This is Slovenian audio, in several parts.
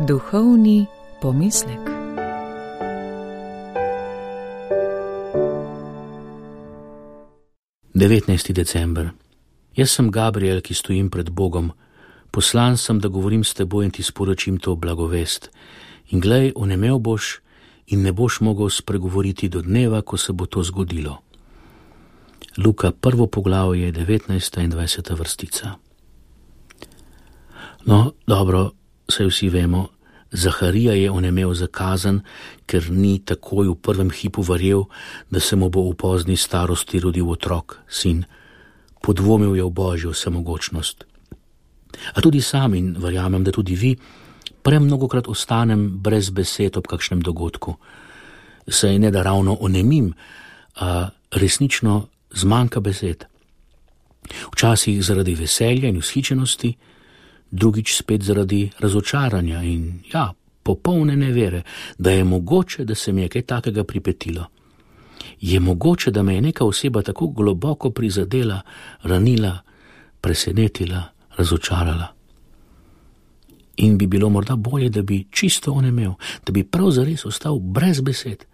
Duhovni pomislek. December. Jaz sem Gabriel, ki stojim pred Bogom. Poslan sem, da govorim s teboj in ti sporočim to blagovest. In glej, onemel boš in ne boš mogel spregovoriti do dneva, ko se bo to zgodilo. Luka 1. poglavje, 19. in 20. vrstica. No, dobro, saj vsi vemo, Zaharija je onemel za kazen, ker ni takoj v prvem hipu verjel, da se mu bo v pozni starosti rodil otrok, sin. Podvomil je v Božjo vsemogočnost. A tudi sam, in verjamem, da tudi vi, premnogokrat ostanem brez besed ob kakšnem dogodku. Saj ne da ravno onemim, a resnično zmanjka besed. Včasih zaradi veselja in vzhičenosti, drugič spet zaradi razočaranja in popolne nevere, da je mogoče, da se mi je kaj takega pripetilo. Je mogoče, da me je neka oseba tako globoko prizadela, ranila, presenetila, razočarala. In bi bilo morda bolje, da bi čisto onemel, da bi prav zares ostal brez besed,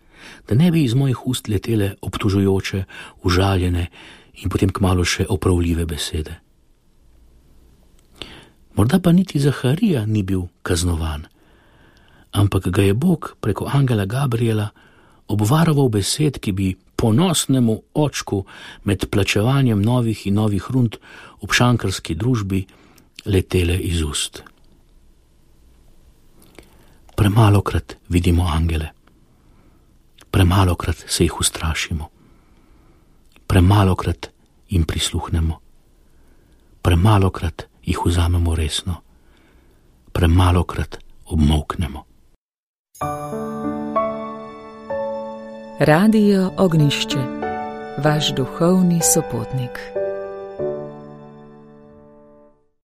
da ne bi iz mojih ust letele obtužujoče, užaljene in potem kmalu še opravljive besede. Morda pa niti Zaharija ni bil kaznovan, ampak ga je Bog preko angela Gabriela obvaroval besed, ki bi ponosnemu očku med plačevanjem novih in novih rund v šankarski družbi letele iz ust. Premalokrat vidimo angele, premalokrat se jih ustrašimo, premalokrat jim prisluhnemo, premalokrat jih vzamemo resno, premalokrat obmolknemo. Radio Ognjišče, vaš duhovni sopotnik.